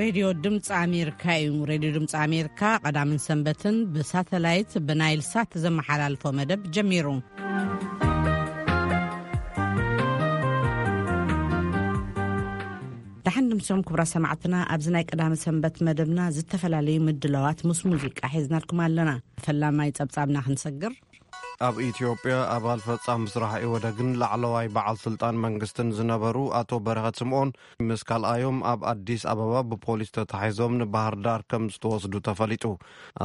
ሬድዮ ድምፂ ኣሜሪካ እዩ። ሬድዮ ድምፂ ኣሜሪካ ቀዳምን ሰንበትን ብሳተላይት ብናይል ሳት ዘመሓላልፎ መደብ ጀሚሩ። ደሓን ድምሶም ክቡራ ሰማዕትና፣ ኣብዚ ናይ ቀዳመ ሰንበት መደብና ዝተፈላለዩ ምድላዋት ምስ ሙዚቃ ሒዝናልኩም ኣለና። ፈላማይ ጸብጻብና ክንሰግር። ኣብ ኢትዮጵያ ኣባል ፈጻሚ ስራሕ ኢወደግን ላዕለዋይ በዓል ስልጣን መንግስትን ዝነበሩ ኣቶ በረኸት ስምኦን ምስ ካልኣዮም ኣብ ኣዲስ ኣበባ ብፖሊስ ተታሒዞም ንባህር ዳር ከም ዝተወስዱ ተፈሊጡ።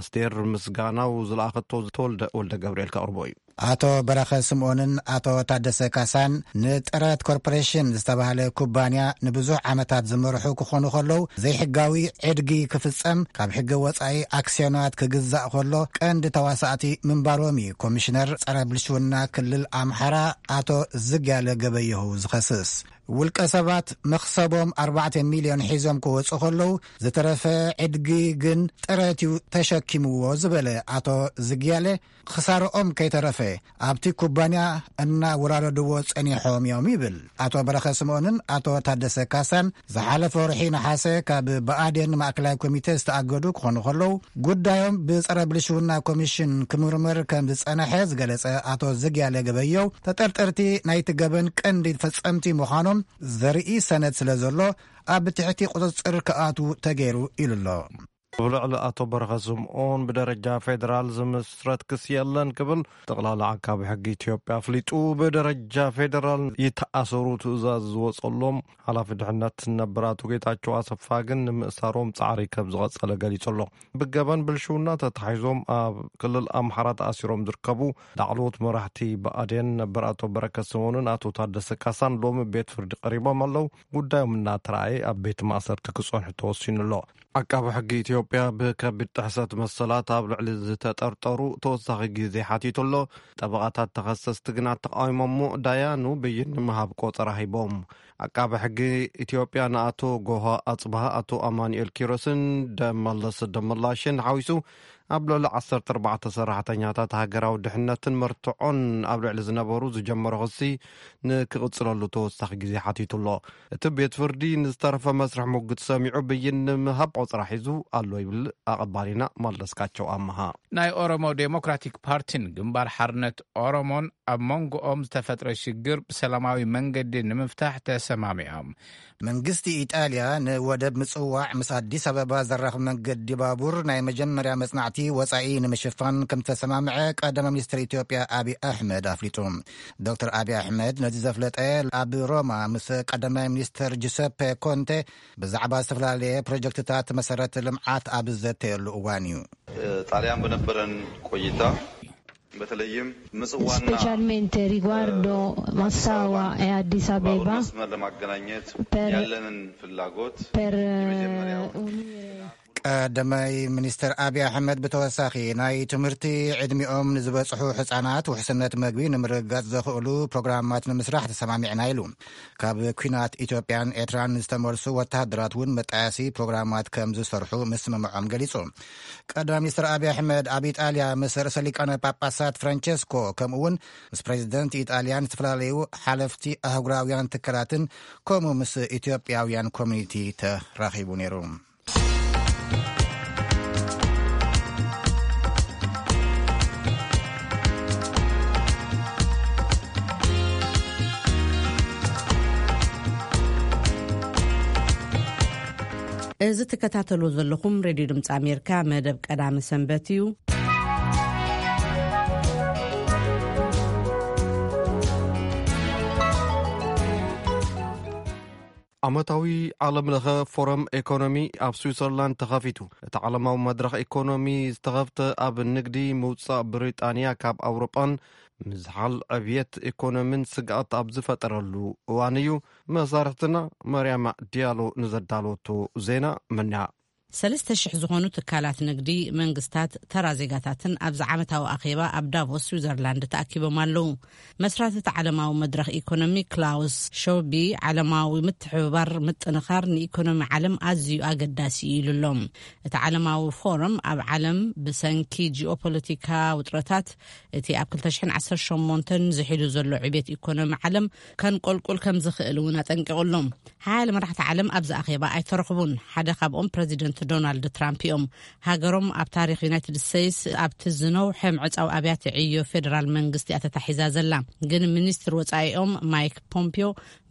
ኣስቴር ምስጋናው ዝለኣኸቶ ተወልደ ወልደ ገብርኤል ከቕርቦ እዩ። ኣቶ በረኸት ስምኦንን ኣቶ ታደሰ ካሳን ንጥረት ኮርፖሬሽን ዝተባህለ ኩባንያ ንብዙሕ ዓመታት ዝመርሑ ክኾኑ ከለዉ፣ ዘይሕጋዊ ዕድጊ ክፍጸም፣ ካብ ሕጊ ወጻኢ ኣክስዮናት ክግዛእ ከሎ ቀንዲ ተዋሳእቲ ምንባሮም እዩ ኮሚሽነር ጸረ ብልሽውና ክልል ኣምሓራ ኣቶ ዝግያለ ገበየሁ ዝኸስስ። ውልቀ ሰባት መኽሰቦም ኣርባዕተ ሚልዮን ሒዞም ክወጹ ከለዉ፣ ዝተረፈ ዕድጊ ግን ጥረት እዩ ተሸኪምዎ ዝበለ ኣቶ ዝግያለ፣ ክሳርኦም ከይተረፈ ኣብቲ ኩባንያ እናወራረድዎ ጸኒሖም እዮም ይብል። ኣቶ በረኸ ስምኦንን ኣቶ ታደሰ ካሳን ዝሓለፈ ወርሒ ነሓሰ ካብ ብኣዴን ማእከላይ ኮሚቴ ዝተኣገዱ ክኾኑ ከለዉ፣ ጉዳዮም ብጸረ ብልሽውና ኮሚሽን ክምርመር ከም ዝጸነሐ ዝገለጸ ኣቶ ዝግያለ ገበየው፣ ተጠርጠርቲ ናይቲ ገበን ቀንዲ ፈጸምቲ ምዃኖም ዘርኢ ሰነድ ስለ ዘሎ፣ ኣብ ትሕቲ ቁጽጽር ክኣትዉ ተገይሩ ኢሉ ኣሎ። ብልዕሊ ኣቶ በረኸ ስምኦን ብደረጃ ፌደራል ዝምስረት ክሲ የለን ክብል ጠቕላላ ዓቃቢ ሕጊ ኢትዮጵያ ኣፍሊጡ። ብደረጃ ፌደራል ይተኣሰሩ ትእዛዝ ዝወጸሎም ሓላፊ ድሕነት ነበር ኣቶ ጌታቸው ኣሰፋ ግን ንምእሳሮም ጻዕሪ ከም ዝቐጸለ ገሊጹ ኣሎ። ብገበን ብልሽውና ተታሒዞም ኣብ ክልል ኣምሓራ ተኣሲሮም ዝርከቡ ላዕለዎት መራሕቲ ብኣዴን ነበር ኣቶ በረከት ስምኦንን ኣቶ ታደሰ ካሳን ሎሚ ቤት ፍርዲ ቀሪቦም ኣለዉ። ጉዳዮም እናተረኣየ ኣብ ቤት ማእሰርቲ ክጸንሑ ተወሲኑ ኣሎ። ዓቃቢ ሕጊ ኢትዮጵያ ብከቢድ ጥሕሰት መሰላት ኣብ ልዕሊ ዝተጠርጠሩ ተወሳኺ ግዜ ሓቲቱ ኣሎ። ጠበቓታት ተኸሰስቲ ግና ተቃዊሞሞ ዳያኑ ብይን ንምሃብ ቆጸራ ሂቦም። ዓቃቢ ሕጊ ኢትዮጵያ ንኣቶ ጎሃ ኣጽብሃ፣ ኣቶ ኣማኑኤል ኪሮስን ደመለስ ደመላሽን ሓዊሱ ኣብ ልዕሊ ዓሰርተ ኣርባዕተ ሰራሕተኛታት ሃገራዊ ድሕነትን መርትዖን ኣብ ልዕሊ ዝነበሩ ዝጀመሮ ክሲ ንክቕጽለሉ ተወሳኺ ግዜ ሓቲቱ ኣሎ። እቲ ቤት ፍርዲ ንዝተረፈ መስርሕ ሙግት ሰሚዑ ብይን ንምሃብ ቆጽራ ሒዙ ኣሎ ይብል ኣቐባሊና መለስካቸው ኣመሃ። ናይ ኦሮሞ ዴሞክራቲክ ፓርቲን ግንባር ሓርነት ኦሮሞን ኣብ መንጎኦም ዝተፈጥረ ሽግር ብሰላማዊ መንገዲ ንምፍታሕ ተሰማሚዖም። መንግስቲ ኢጣልያ ንወደብ ምጽዋዕ ምስ ኣዲስ ኣበባ ዘራኽብ መንገዲ ባቡር ናይ መጀመርያ መጽናዕቲ ወጻኢ ንምሽፋን ከም ዝተሰማምዐ ቀዳማይ ሚኒስትር ኢትዮጵያ ኣብይ ኣሕመድ ኣፍሊጡ። ዶክተር ኣብይ ኣሕመድ ነዚ ዘፍለጠ ኣብ ሮማ ምስ ቀዳማይ ሚኒስትር ጁሰፔ ኮንቴ ብዛዕባ ዝተፈላለየ ፕሮጀክትታት መሰረተ ልምዓት ኣብ ዘተየሉ እዋን እዩ። ጣሊያን በነበረን ቆይታ በተለይም ምጽዋና፣ specialmente riguardo ማሳዋ፣ እ፣ አዲስ አበባ ባቡር መስመር ለማገናኘት per ያለንን ፍላጎት per የመጀመሪያው unire ቀዳማይ ሚኒስትር ኣብይ ኣሕመድ ብተወሳኺ ናይ ትምህርቲ ዕድሚኦም ንዝበጽሑ ሕጻናት ውሕስነት መግቢ ንምርግጋጽ ዘኽእሉ ፕሮግራማት ንምስራሕ ተሰማሚዕና ኢሉ። ካብ ኲናት ኢትዮጵያን ኤርትራን ዝተመልሱ ወተሃደራት እውን መጣያሲ ፕሮግራማት ከም ዝሰርሑ ምስምምዖም ገሊጹ። ቀዳማይ ሚኒስትር ኣብይ ኣሕመድ ኣብ ኢጣልያ ምስ ርእሰ ሊቃነ ጳጳሳት ፍራንቸስኮ ከምኡ እውን ምስ ፕሬዚደንት ኢጣልያን ዝተፈላለዩ ሓለፍቲ ኣህጉራውያን ትካላትን ከምኡ ምስ ኢትዮጵያውያን ኮሚኒቲ ተራኺቡ ነይሩ። እዚ ትከታተሉ ዘለኹም ሬድዮ ድምፂ ኣሜሪካ መደብ ቀዳሚ ሰንበት እዩ። ዓመታዊ ዓለም ለኸ ፎረም ኢኮኖሚ ኣብ ስዊዘርላንድ ተኸፊቱ። እቲ ዓለማዊ መድረኽ ኢኮኖሚ ዝተኸፍተ ኣብ ንግዲ ምውጻእ ብሪጣንያ ካብ ኣውሮጳን ምዝሓል ዕብየት ኢኮኖሚን ስግኣት ኣብ ዝፈጠረሉ እዋን እዩ። መሳርሕትና መርያማ ዲያሎ ንዘዳለወቶ ዜና መና። ሰለስተ ሽሕ ዝኾኑ ትካላት ንግዲ፣ መንግስታት፣ ተራ ዜጋታትን ኣብዚ ዓመታዊ ኣኼባ ኣብ ዳቮስ ስዊዘርላንድ ተኣኪቦም ኣለዉ። መስራቲ እቲ ዓለማዊ መድረኽ ኢኮኖሚ ክላውስ ሾቢ፣ ዓለማዊ ምትሕብባር ምጥንኻር ንኢኮኖሚ ዓለም ኣዝዩ ኣገዳሲ እዩ ኢሉ ኣሎ። እቲ ዓለማዊ ፎረም ኣብ ዓለም ብሰንኪ ጂኦፖለቲካ ውጥረታት እቲ ኣብ ክልተ ሽሕን ዓሰርተ ሸሞንተን ዝሒሉ ዘሎ ዕቤት ኢኮኖሚ ዓለም ከንቆልቁል ከም ዝኽእል እውን ኣጠንቂቑ ኣሎ። ሓያለ መራሕቲ ዓለም ኣብዚ ኣኼባ ኣይተረኽቡን። ሓደ ካብኦም ፕረዚደንት ዶናልድ ትራምፕ እዮም። ሃገሮም ኣብ ታሪኽ ዩናይትድ ስቴትስ ኣብቲ ዝነውሐ ምዕጻው ኣብያተ ዕዮ ፌደራል መንግስቲ እያ ተታሒዛ ዘላ። ግን ሚኒስትር ወጻኢኦም ማይክ ፖምፒዮ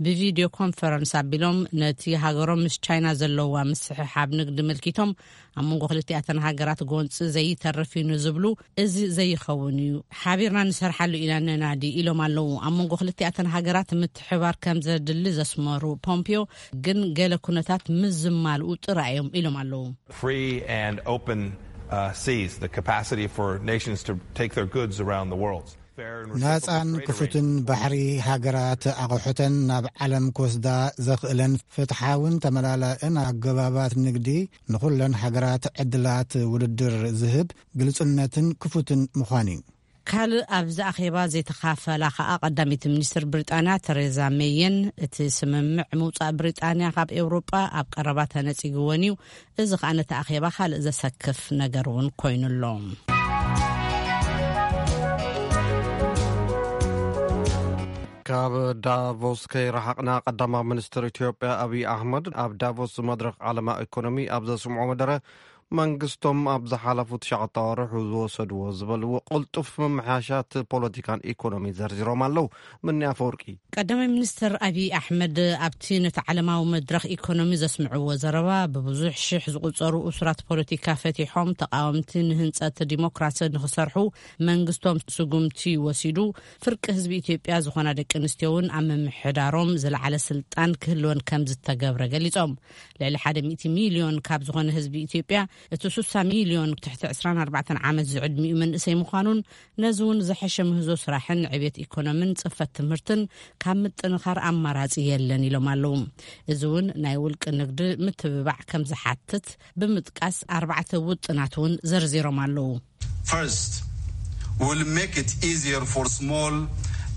ብቪድዮ ኮንፈረንስ ኣቢሎም ነቲ ሃገሮም ምስ ቻይና ዘለዋ ምስሕሓብ ንግዲ ምልኪቶም፣ ኣብ መንጎ ክልቲኣተን ሃገራት ጎንፂ ዘይተርፍ እዩ ንዝብሉ፣ እዚ ዘይኸውን እዩ፣ ሓቢርና ንሰርሓሉ ኢና ንናዲ ኢሎም ኣለዉ። ኣብ መንጎ ክልቲኣተን ሃገራት ምትሕባር ከም ዘድሊ ዘስመሩ ፖምፒዮ፣ ግን ገለ ኩነታት ምስ ዝማልኡ ጥራይ እዮም ኢሎም ኣለዉ። Free and open uh, seas, the capacity for nations to take their goods around the world. Fair and reciprocal ናጻን trade ክፉትን ባሕሪ፣ ሃገራት ኣቑሑተን ናብ ዓለም ክወስዳ ዘኽእለን ፍትሓውን ተመላላእን ኣገባባት ንግዲ፣ ንኹለን ሃገራት ዕድላት ውድድር ዝህብ፣ ግልጽነትን ክፉትን ምዃን እዩ። ካልእ ኣብዚ ኣኼባ ዘይተኻፈላ ከኣ ቀዳመይቲ ሚኒስትር ብሪጣንያ ተሬዛ ሜይን፣ እቲ ስምምዕ ምውጻእ ብሪጣንያ ካብ ኤውሮጳ ኣብ ቀረባ ተነጺግወን እዩ፣ እዚ ከኣ ነቲ ኣኼባ ካልእ ዘሰክፍ ነገር እውን ኮይኑ ኣሎ። ካብ ዳቮስ ከይረሓቕና፣ ቀዳማይ ሚኒስትር ኢትዮጵያ ኣብይ ኣሕመድ ኣብ ዳቮስ መድረኽ ዓለማ ኢኮኖሚ ኣብ ዘስምዖ መደረ፣ መንግስቶም ኣብ ዝሓለፉ ትሽዓተ ኣዋርሕ ዝወሰድዎ ዝበልዎ ቅልጡፍ ምምሕያሻት ፖለቲካን ኢኮኖሚ ዘርዚሮም ኣለዉ። ምኒ ኣፈወርቂ። ቀዳማይ ሚኒስትር ኣብይ ኣሕመድ ኣብቲ ነቲ ዓለማዊ መድረኽ ኢኮኖሚ ዘስምዕዎ ዘረባ፣ ብብዙሕ ሽሕ ዝቑጸሩ እሱራት ፖለቲካ ፈቲሖም፣ ተቃወምቲ ንህንጸት ዲሞክራሲ ንኽሰርሑ መንግስቶም ስጉምቲ ወሲዱ፣ ፍርቂ ህዝቢ ኢትዮጵያ ዝኾና ደቂ ኣንስትዮ እውን ኣብ ምምሕዳሮም ዝለዓለ ስልጣን ክህልወን ከም ዝተገብረ ገሊጾም። ልዕሊ ሓደ ሚእቲ ሚልዮን ካብ ዝኾነ ህዝቢ ኢትዮጵያ፣ እቲ ስሳ ሚልዮን ትሕቲ ዕስራን ኣርባዕተን ዓመት ዝዕድሚኡ መንእሰይ ምዃኑን፣ ነዚ እውን ዝሐሸ ምህዞ ስራሕን ዕቤት ኢኮኖምን ጽፈት ትምህርትን ካብ ምጥንኻር ኣማራጺ የለን ኢሎም ኣለዉ። እዚ እውን ናይ ውልቂ ንግዲ ምትብባዕ ከም ዝሓትት ብምጥቃስ፣ ኣርባዕተ ውጥናት እውን ዘርዚሮም ኣለዉ። First, we'll make it easier for small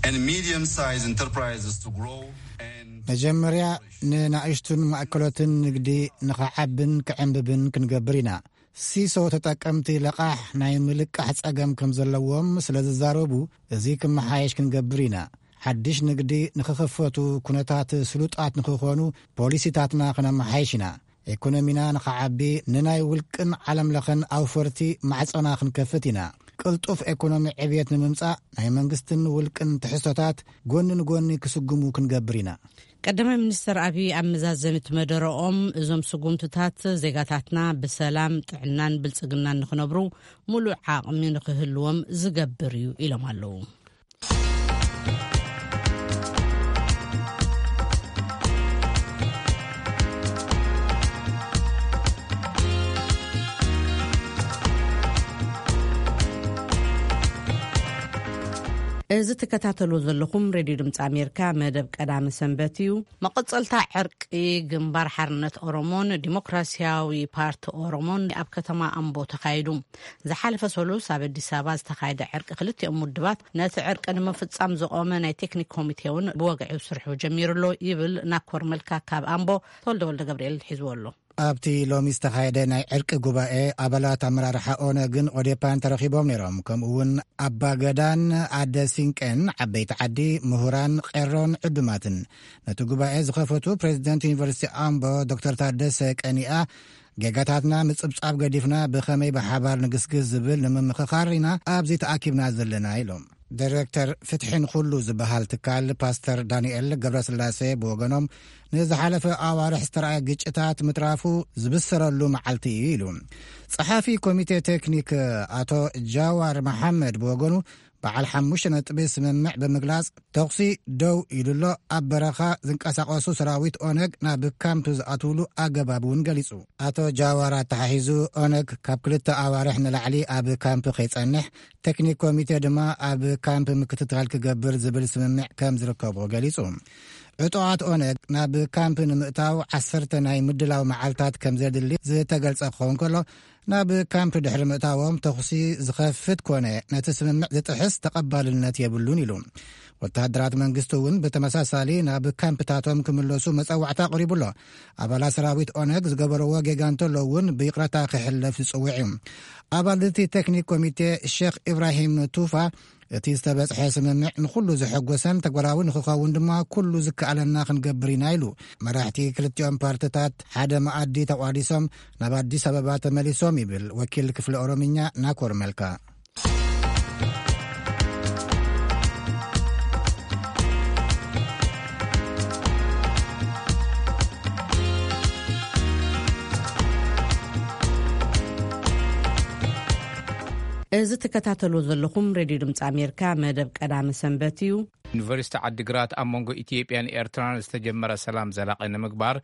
and medium-sized enterprises to grow and መጀመርያ፣ ንናእሽቱን ማእከሎትን ንግዲ ንኸዓብን ክዕንብብን ክንገብር ኢና። ሲሶ ተጠቀምቲ ለቓሕ ናይ ምልቃሕ ጸገም ከም ዘለዎም ስለ ዝዛረቡ፣ እዚ ክመሓየሽ ክንገብር ኢና። ሓድሽ ንግዲ ንኽኽፈቱ ኩነታት ስሉጣት ንኽኾኑ ፖሊሲታትና ክነመሓይሽ ኢና። ኢኮኖሚና ንኸዓቢ፣ ንናይ ውልቅን ዓለም ለኸን ኣውፈርቲ ማዕጾና ክንከፍት ኢና። ቅልጡፍ ኢኮኖሚ ዕብየት ንምምጻእ፣ ናይ መንግስትን ውልቅን ትሕዝቶታት ጎኒ ንጎኒ ክስጉሙ ክንገብር ኢና። ቀዳማይ ሚኒስትር ኣብይ ኣብ መዛዘሚት መደረኦም፣ እዞም ስጉምትታት ዜጋታትና ብሰላም፣ ጥዕናን ብልጽግናን ንኽነብሩ ሙሉእ ዓቕሚ ንኽህልዎም ዝገብር እዩ ኢሎም ኣለዉ። እዚ ትከታተልዎ ዘለኹም ሬድዮ ድምፂ ኣሜሪካ መደብ ቀዳመ ሰንበት እዩ። መቐጸልታ ዕርቂ ግንባር ሓርነት ኦሮሞን ዲሞክራሲያዊ ፓርቲ ኦሮሞን ኣብ ከተማ ኣምቦ ተኻይዱ። ዝሓለፈ ሰሉስ ኣብ ኣዲስ ኣበባ ዝተኻየደ ዕርቂ ክልቲኦም ውድባት ነቲ ዕርቂ ንምፍጻም ዝቖመ ናይ ቴክኒክ ኮሚቴ እውን ብወግዒ ስርሑ ጀሚሩ ኣሎ ይብል ናኮር መልካ ካብ ኣምቦ። ተወልደ ወልደ ገብርኤል ሒዝዎ ኣሎ። ኣብቲ ሎሚ ዝተኻየደ ናይ ዕርቂ ጉባኤ ኣባላት ኣመራርሓ ኦነግን ኦዴፓን ተረኺቦም ነይሮም። ከምኡ እውን ኣባ ገዳን ኣደ ሲንቄን፣ ዓበይቲ ዓዲ፣ ምሁራን፣ ቄሮን ዕዱማትን። ነቲ ጉባኤ ዝኸፈቱ ፕሬዚደንት ዩኒቨርሲቲ ኣምቦ ዶክተር ታደሰ ቀኒኣ፣ ጌጋታትና ምጽብጻብ ገዲፍና ብኸመይ ብሓባር ንግስግስ ዝብል ንምምኽኻር ኢና ኣብዚ ተኣኪብና ዘለና ኢሎም። ዳይሬክተር ፍትሒ ንኹሉ ዝበሃል ትካል ፓስተር ዳንኤል ገብረስላሴ ብወገኖም፣ ንዝሓለፈ ኣዋርሕ ዝተረኣየ ግጭታት ምትራፉ ዝብሰረሉ መዓልቲ እዩ ኢሉ። ጸሓፊ ኮሚቴ ቴክኒክ ኣቶ ጃዋር መሓመድ ብወገኑ፣ በዓል ሓሙሽተ ነጥቢ ስምምዕ ብምግላጽ፣ ተኹሲ ደው ኢሉ ኣሎ፣ ኣብ በረኻ ዝንቀሳቐሱ ሰራዊት ኦነግ ናብ ካምፕ ዝኣትውሉ ኣገባብ እውን ገሊጹ። ኣቶ ጃዋር ኣተሓሒዙ፣ ኦነግ ካብ ክልተ ኣዋርሕ ንላዕሊ ኣብ ካምፕ ከይጸንሕ፣ ቴክኒክ ኮሚቴ ድማ ኣብ ካምፕ ምክትታል ክገብር ዝብል ስምምዕ ከም ዝርከቦ ገሊጹ። ዕጡቓት ኦነግ ናብ ካምፕ ንምእታው ዓሰርተ ናይ ምድላው መዓልታት ከም ዘድሊ ዝተገልጸ ክኸውን ከሎ፣ ናብ ካምፕ ድሕሪ ምእታዎም ተኹሲ ዝኸፍት ኮነ ነቲ ስምምዕ ዝጥሕስ ተቐባልነት የብሉን ኢሉ። ወተሃደራት መንግስቲ እውን ብተመሳሳሊ ናብ ካምፕታቶም ክምለሱ መጸዋዕታ ኣቕሪቡ ኣሎ። ኣባላት ሰራዊት ኦነግ ዝገበርዎ ጌጋ እንተሎ እውን ብይቕረታ ክሕለፍ ዝጽውዕ እዩ። ኣባል እቲ ቴክኒክ ኮሚቴ ሼክ ኢብራሂም ቱፋ፣ እቲ ዝተበጽሐ ስምምዕ ንኹሉ ዘሐጎሰን ተግባራዊ ንኽኸውን ድማ ኩሉ ዝከኣለና ክንገብር ኢና ኢሉ። መራሕቲ ክልቲኦም ፓርትታት ሓደ መኣዲ ተቋዲሶም ናብ ኣዲስ ኣበባ ተመሊሶም ይብል ወኪል ክፍሊ ኦሮምኛ ናኮር መልካ። እዚ ትከታተሉ ዘለኹም ሬድዮ ድምፂ ኣሜሪካ መደብ ቀዳሚ ሰንበት እዩ። ዩኒቨርሲቲ ዓዲግራት ኣብ መንጎ ኢትዮጵያን ኤርትራን ዝተጀመረ ሰላም ዘላቒ ንምግባር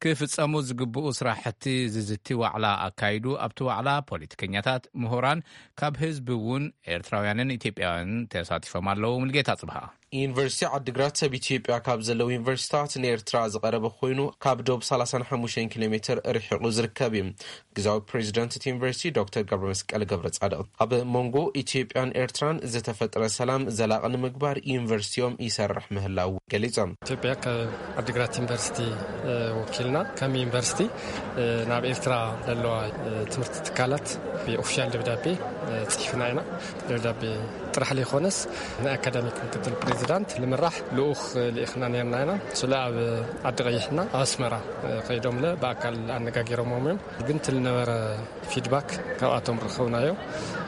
ክፍጸሙ ዝግብኡ ስራሕቲ ዝዝቲ ዋዕላ ኣካይዱ። ኣብቲ ዋዕላ ፖለቲከኛታት፣ ምሁራን፣ ካብ ህዝቢ እውን ኤርትራውያንን ኢትዮጵያውያንን ተሳቲፎም ኣለዉ። ሙልጌታ ጽብሃ። ዩኒቨርሲቲ ዓዲግራት ሰብ ኢትዮጵያ ካብ ዘለዉ ዩኒቨርሲቲታት ንኤርትራ ዝቐረበ ኮይኑ፣ ካብ ዶብ ሰላሳን ሓሙሽተን ኪሎ ሜትር ርሒቑ ዝርከብ እዩ። ግዛዊ ፕሬዚደንት እቲ ዩኒቨርሲቲ ዶክተር ገብረመስቀል ገብረ ጻድቕ፣ ኣብ መንጎ ኢትዮጵያን ኤርትራን ዝተፈጥረ ሰላም ዘላቒ ንምግባር ዩኒቨርሲቲኦም ይሰርሕ ምህላው ገሊጾም። ኢትዮጵያ ካብ ዓዲግራት ዩኒቨርሲቲ፣ እ፣ ወኪልና ከም ዩኒቨርሲቲ፣ እ፣ ናብ ኤርትራ ዘለዋ፣ እ፣ ትምህርቲ ትካላት ብኦፊሻል ደብዳቤ፣ እ፣ ጽሒፍና ኢና። ደብዳቤ ጥራሕ ዘይኮነስ፣ ንኣካዳሚክ ምክትል ፕሬዚዳንት ልምራሕ ልኡኽ ልኢኽና ነርና ኢና። ስለ ኣብ ዓዲ ቀይሕና ኣብ ኣስመራ፣ እ፣ ከይዶምለ ብኣካል ኣነጋጊሮምዎም እዮም። ግን እቲ ልነበረ ፊድባክ ካብኣቶም ርኸብናዮ።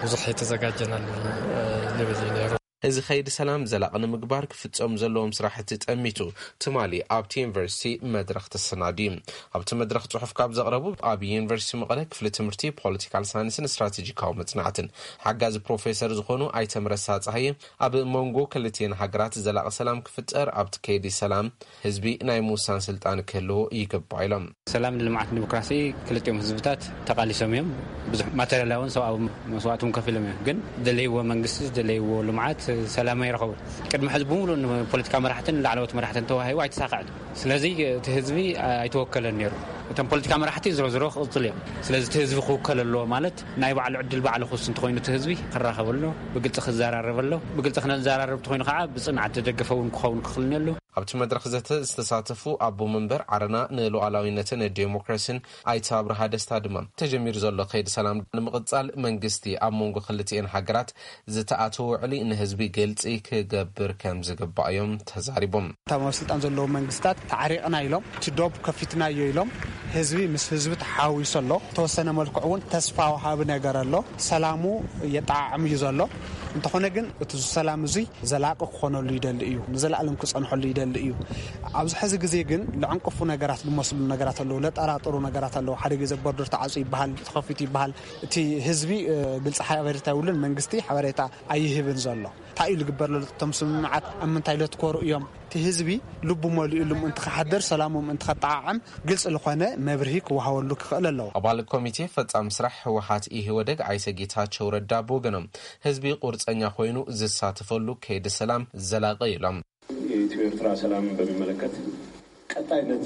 ብዙሕ የተዘጋጀናሉ፣ እ፣ ልብል እዩ ነይሩ። እዚ ኸይዲ ሰላም ዘላቒ ንምግባር ክፍጸሙ ዘለዎም ስራሕቲ ጠሚቱ ትማሊ ኣብቲ ዩኒቨርሲቲ መድረኽ ተሰናድዩ። ኣብቲ መድረኽ ጽሑፍ ካብ ዘቕረቡ ኣብ ዩኒቨርሲቲ መቐለ ክፍሊ ትምህርቲ ፖለቲካል ሳይንስን ስትራቴጂካዊ መጽናዕትን ሓጋዚ ፕሮፌሰር ዝኾኑ ኣይተ ምረሳ ጸሃየ፣ ኣብ መንጎ ክልቲኤን ሃገራት ዘላቒ ሰላም ክፍጠር ኣብቲ ከይዲ ሰላም ህዝቢ ናይ ምውሳን ስልጣን ክህልዎ ይግባእ ኢሎም። ሰላም፣ ልምዓት፣ ዲሞክራሲ ክልቲኦም ህዝብታት ተቓሊሶም እዮም። ብዙሕ ማተርያላውን ሰብኣዊ መስዋእቲ እውን ከፊሎም እዮም። ግን ዝደለይዎ መንግስቲ፣ ዝደለይዎ ልምዓት፣ ሰላም ኣይረኸቡን። ቅድሚ ሕዚ ብምሉእ ንፖለቲካ መራሕትን ላዕለዎት መራሕትን ተዋሂቡ ኣይተሳኽዐን። ስለዚ እቲ ህዝቢ ኣይተወከለን ነይሩ። እቶም ፖለቲካ መራሕቲ ዝሮ ዝሮ ክቕጽል እዮም። ስለዚ እቲ ህዝቢ ክውከል ኣለዎ ማለት ናይ ባዕሉ ዕድል ባዕሉ ክውስን እንተኾይኑ እቲ ህዝቢ ክራኸብ ኣለዎ፣ ብግልጺ ክዘራረብ ኣለዎ። ብግልጺ ክነዘራረብ እንተኾይኑ ከዓ ብጽንዓት ዝደገፈ እውን ክኸውን ክኽእል ኣለዎ። ኣብቲ መድረኽ ዘተ ዝተሳተፉ ኣቦ መንበር ዓረና ንሉዓላዊነትን ዴሞክራሲን ኣይተ ኣብርሃ ደስታ ድማ፣ ተጀሚሩ ዘሎ ከይዲ ሰላም ንምቕጻል መንግስቲ ኣብ መንጎ ክልቲኤን ሃገራት ዝተኣተወ ውዕሊ ንህዝቢ ግልጺ ክገብር ከም ዝግባእ እዮም ተዛሪቦም። እቶም ኣብ ስልጣን ዘለዉ መንግስታት ተዓሪቕና ኢሎም፣ እቲ ዶብ ከፊትናዮ ኢሎም፣ ህዝቢ ምስ ህዝቢ ተሓዊሱ ኣሎ። ተወሰነ መልክዑ እውን ተስፋ ወሃቢ ነገር ኣሎ። ሰላሙ የጠዓዕም እዩ ዘሎ። እንተኾነ ግን እቲ ሰላም እዙይ ዘላቂ ክኾነሉ ይደሊ እዩ፣ ንዘለኣለም ክጸንሐሉ ይደሊ እዩ። ኣብዚ ሕዚ ግዜ ግን ለዕንቅፉ ነገራት ዝመስሉ ነገራት ኣለዉ፣ ለጠራጥሩ ነገራት ኣለዉ። ሓደ ግዜ ቦርደር ተዓጽዩ ይበሃል፣ ተኸፊቱ ይበሃል። እቲ ህዝቢ፣ እ፣ ግልጺ ሓበሬታ የብሉን፣ መንግስቲ ሓበሬታ ኣይህብን ዘሎ። እንታይ እዩ ዝግበር ዘሎ? እቶም ስምምዓት ኣብ ምንታይ ለትኮሩ እዮም? እቲ ህዝቢ ልቡ መሊኡሉ ምእንቲ ክሓድር፣ ሰላሙ ምእንቲ ከጠዓዕም ግልጺ ዝኾነ መብርሂ ክወሃበሉ ክኽእል ኣለዎ። ኣባል ኮሚቴ ፈጻሚ ስራሕ ህወሓት ኢህወደግ ኣይተ ጌታቸው ረዳ ብወገኖም፣ ህዝቢ ቁርጸኛ ኮይኑ ዝሳተፈሉ ከይዲ ሰላም ዘላቂ ኢሎም። የኢትዮ ኤርትራ ሰላምን በሚመለከት ቀጣይነት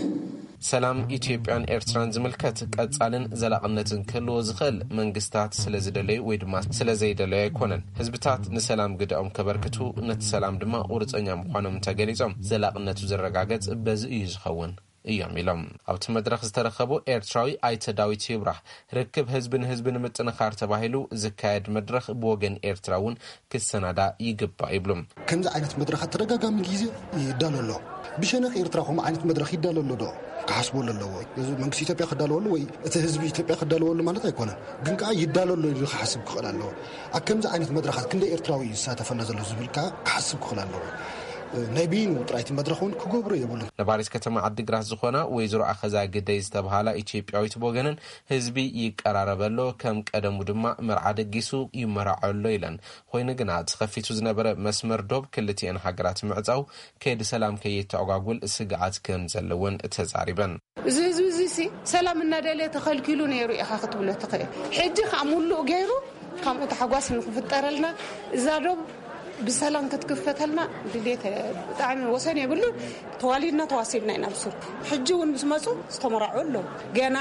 ሰላም ኢትዮጵያን ኤርትራን ዝምልከት ቀጻልን ዘላቕነትን ክህልዎ ዝኽእል መንግስታት ስለ ዝደለዩ ወይ ድማ ስለ ዘይደለዩ ኣይኮነን። ህዝብታት ንሰላም ግደኦም ከበርክቱ፣ ነቲ ሰላም ድማ ቁርጸኛ ምዃኖም እንተገሊጾም፣ ዘላቕነቱ ዝረጋገጽ በዚ እዩ ዝኸውን እዮም ኢሎም። ኣብቲ መድረኽ ዝተረኸቡ ኤርትራዊ ኣይተ ዳዊት ይብራህ፣ ርክብ ህዝቢ ንህዝቢ ንምጥንኻር ተባሂሉ ዝካየድ መድረኽ ብወገን ኤርትራ እውን ክሰናዳ ይግባእ ይብሉ። ከምዚ ዓይነት መድረኻት ተደጋጋሚ ግዜ ይዳሎ ኣሎ። ብሸነኽ ኤርትራ ከምኡ ዓይነት መድረኽ ይዳሎ ኣሎ ዶ? ክሓስበሉ ኣለዎ። እዚ መንግስቲ ኢትዮጵያ ክዳለወሉ ወይ እቲ ህዝቢ ኢትዮጵያ ክዳለወሉ ማለት ኣይኮነን። ግን ከኣ ይዳሎ ኣሎ ኢሉ ክሓስብ ክኽእል ኣለዎ። ኣብ ከምዚ ዓይነት መድረኻት ክንደይ ኤርትራዊ እዩ ዝሳተፈና ዘሎ ዝብል ከኣ ክሓስብ ክኽእል ኣለዎ። ናይ በይኑ ጥራይ እቲ መድረኽ እውን ክገብሮ የብሉን። ነባሪት ከተማ ዓዲግራት ዝኾና ወይዘሮ ኣኸዛ ግደይ ዝተብሃላ ኢትዮጵያዊት ብወገነን፣ ህዝቢ ይቀራረብ ኣሎ፣ ከም ቀደሙ ድማ መርዓ ደጊሱ ይመራዖ ኣሎ ኢለን። ኮይኑ ግና፣ እቲ ከፊቱ ዝነበረ መስመር ዶብ ክልቲኤን ሃገራት ምዕጻው፣ ከይዲ ሰላም ከይተኣጓጉል ስግኣት ከም ዘለወን ተዛሪበን። እዚ ህዝቢ እዚ ሲ ሰላም እናደለየ ተኸልኪሉ ነይሩ ኢኻ ክትብሎ ትኽእል። ሕጂ ከዓ ሙሉእ ገይሩ፣ ከምኡ ታሕጓስ ንክፍጠረልና፣ እዛ ዶብ ብሰላም ክትክፈተልና ድሌት ብጣዕሚ ወሰን የብሉ። ተዋሊድና ተዋሲብና ኢና ብሱር። ሕጂ እውን ምስ መፁ ዝተመራዑ ኣለዉ። ገና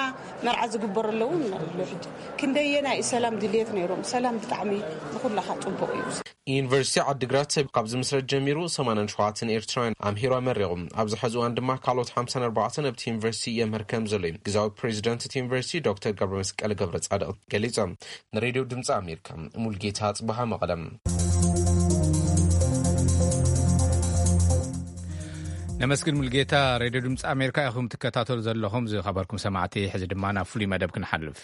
መርዓ ዝግበሩ ኣለዉ ኣለዉ። ሕጂ ክንደየናይ ሰላም ድሌት ነይሮም። ሰላም ብጣዕሚ ንኹላኻ ፅቡቕ እዩ። ዩኒቨርሲቲ ዓዲግራት ካብ ዝምስረት ጀሚሩ ሰማንያን ሸውዓተን ኤርትራውያን ኣምሂሩ ኣመሪቑ። ኣብዚ ሕዚ እዋን ድማ ካልኦት ሓምሳን ኣርባዕተን ኣብቲ ዩኒቨርሲቲ የምህር ከም ዘሎ እዩ ግዛዊ ፕሬዚደንት እቲ ዩኒቨርሲቲ ዶክተር ገብረ መስቀል ገብረ ጻድቕ ገሊጾም። ንሬድዮ ድምፂ ኣሜሪካ ሙልጌታ ጽበሃ መቐለም። ነመስግን ሙልጌታ። ሬድዮ ድምፂ ኣሜሪካ ኢኹም ትከታተሉ ዘለኹም ዝኸበርኩም ሰማዕቲ። ሕዚ ድማ ናብ ፍሉይ መደብ ክንሓልፍ።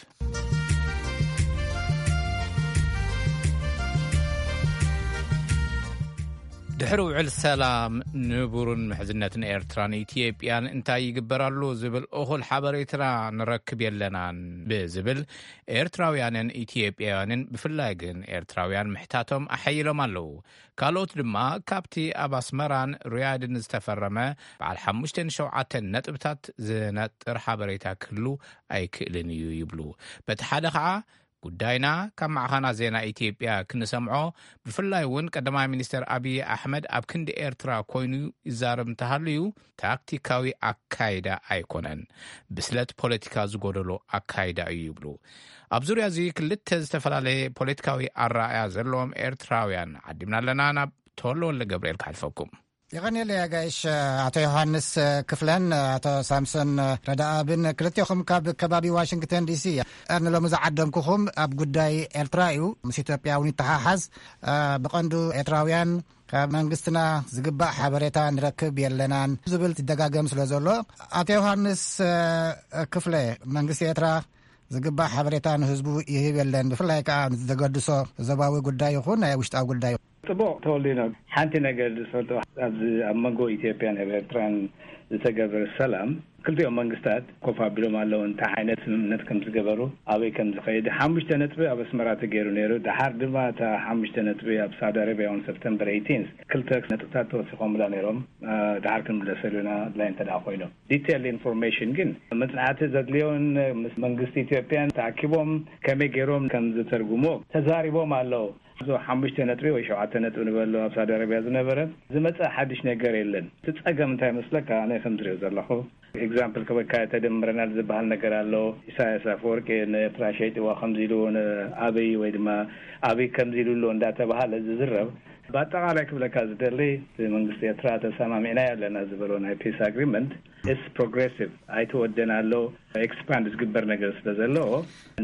ድሕሪ ውዕል ሰላም ንቡርን ምሕዝነትን ኤርትራን ኢትዮጵያን እንታይ ይግበር ኣሎ ዝብል እኹል ሓበሬታ ንረክብ የለናን ብዝብል ኤርትራውያንን ኢትዮጵያውያንን ብፍላይ ግን ኤርትራውያን ምሕታቶም ኣሐይሎም ኣለዉ። ካልኦት ድማ ካብቲ ኣብ ኣስመራን ሪያድን ዝተፈረመ በዓል ሓሙሽተን ሸውዓተን ነጥብታት ዝነጥር ሓበሬታ ክህሉ ኣይክእልን እዩ ይብሉ። በቲ ሓደ ኸዓ ጉዳይና ካብ ማዕኸናት ዜና ኢትዮጵያ ክንሰምዖ፣ ብፍላይ እውን ቀዳማይ ሚኒስተር ኣብይ ኣሕመድ ኣብ ክንዲ ኤርትራ ኮይኑ ይዛረብ እንተሃልዩ ታክቲካዊ ኣካይዳ ኣይኮነን፣ ብስለት ፖለቲካ ዝጎደሎ ኣካይዳ እዩ ይብሉ። ኣብ ዙርያ እዚ ክልተ ዝተፈላለየ ፖለቲካዊ ኣረኣእያ ዘለዎም ኤርትራውያን ዓዲምና ኣለና። ናብ ተወልደ ወልደ ገብርኤል ክሓልፈኩም። የቐንየለይ ኣጋይሽ ኣቶ ዮሃንስ ክፍለን ኣቶ ሳምሶን ረዳኣብን ክልቴኹም ካብ ከባቢ ዋሽንግተን ዲሲ። ንሎሚ ዝዓደምኩኹም ኣብ ጉዳይ ኤርትራ እዩ። ምስ ኢትዮጵያ እውን ይተሓሓዝ። ብቐንዱ ኤርትራውያን ካብ መንግስትና ዝግባእ ሓበሬታ ንረክብ የለናን ዝብል ትደጋገም ስለ ዘሎ፣ ኣቶ ዮሃንስ ክፍለ፣ መንግስቲ ኤርትራ ዝግባእ ሓበሬታ ንህዝቡ ይህብ የለን፣ ብፍላይ ከዓ ዘገድሶ ዞባዊ ጉዳይ ይኹን ናይ ውሽጣዊ ጉዳይ። ጽቡቕ ተወሊኖ፣ ሓንቲ ነገር ዝፈልጦ፣ ኣብዚ ኣብ መንጎ ኢትዮጵያን ኤርትራን ዝተገበረ ሰላም፣ ክልቲኦም መንግስታት ኮፍ ኣቢሎም ኣለዉ። እንታይ ዓይነት ስምምነት ከም ዝገበሩ፣ ኣበይ ከም ዝኸይድ፣ ሓሙሽተ ነጥቢ ኣብ ኣስመራ ተገይሩ ነይሩ። ደሓር ድማ እታ ሓሙሽተ ነጥቢ ኣብ ሳውዲ ኣረብያ እውን ሰፕተምበር ኤይቲን ክልተ ነጥብታት ተወሲኾምላ ነይሮም። እ፣ ደሓር ክንምለሰሉ ኢና፣ ኣድላይ እንተ ደኣ ኮይኖም። ዲቴል ኢንፎርሜሽን ግን መጽናዕቲ ዘድልዮን ምስ መንግስቲ ኢትዮጵያን ተኣኪቦም ከመይ ገይሮም ከም ዝተርጉሞ ተዛሪቦም ኣለዉ። እዞ ሓሙሽተ ነጥቢ ወይ ሸውዓተ ነጥቢ ንበሎ ኣብ ሳውዲ ኣረብያ ዝነበረ ዝመጸ ሓድሽ ነገር የለን። እቲ ጸገም እንታይ መስለካ? ኣነ ከም ዝሪኦ ዘለኹ ኤግዛምፕል ክበካ ተደምረናል ዝበሃል ነገር ኣሎ። ኢሳያስ ኣፈወርቂ ንኤርትራ ሸይጥዋ ከምዚ ኢሉ ንኣብይ ወይ ድማ ኣብይ ከምዚ ኢሉ ኣሎ እንዳተባሃለ ዝዝረብ፣ ብኣጠቓላይ ክብለካ ዝደሊ እቲ መንግስቲ ኤርትራ ተሰማሚዕናዮ ኣለና ዝበሎ ናይ ፒስ ኣግሪመንት እስ ፕሮግሬሲቭ ኣይተወደን ኣሎ። ኤክስፓንድ ዝግበር ነገር ስለ ዘለዎ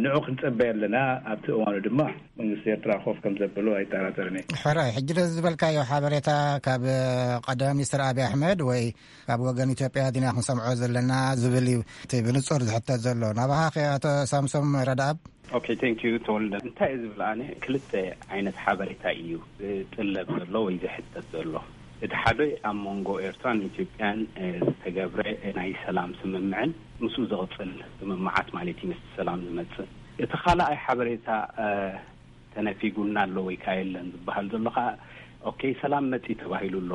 ንዑ ክንጽበይ ኣለና። ኣብቲ እዋኑ ድማ መንግስቲ ኤርትራ ኮፍ ከም ዘብሎ ኣይጠራጠርን እየ። ሕራይ፣ ሕጂ ነዚ ዝበልካዮ ሓበሬታ ካብ ቀዳማይ ሚኒስትር ኣብይ ኣሕመድ ወይ ካብ ወገን ኢትዮጵያ ዲና ክንሰምዖ ዘለና ዝብል እዩ እቲ ብንጹር ዝሕተት ዘሎ። ናባኻ ከ ኣቶ ሳምሶም ረዳኣብ? ኦኬ፣ ቴንክ ዩ ተወልደ። እንታይ እዩ ዝብል፣ ኣነ ክልተ ዓይነት ሓበሬታ እዩ ዝጥለብ ዘሎ ወይ ዝሕተት ዘሎ። እቲ ሓደ ኣብ መንጎ ኤርትራን ኢትዮጵያን፣ እ፣ ዝተገብረ ናይ ሰላም ስምምዕን ምስኡ ዝቕጽል ስምምዓት ማለት እዩ፣ ምስቲ ሰላም ዝመጽእ። እቲ ካልኣይ ሓበሬታ፣ እ፣ ተነፊጉና ኣሎ ወይ ከኣ የለን ዝበሃል ዘሎ ከኣ፣ ኦኬ፣ ሰላም መጺ ተባሂሉ ኣሎ፣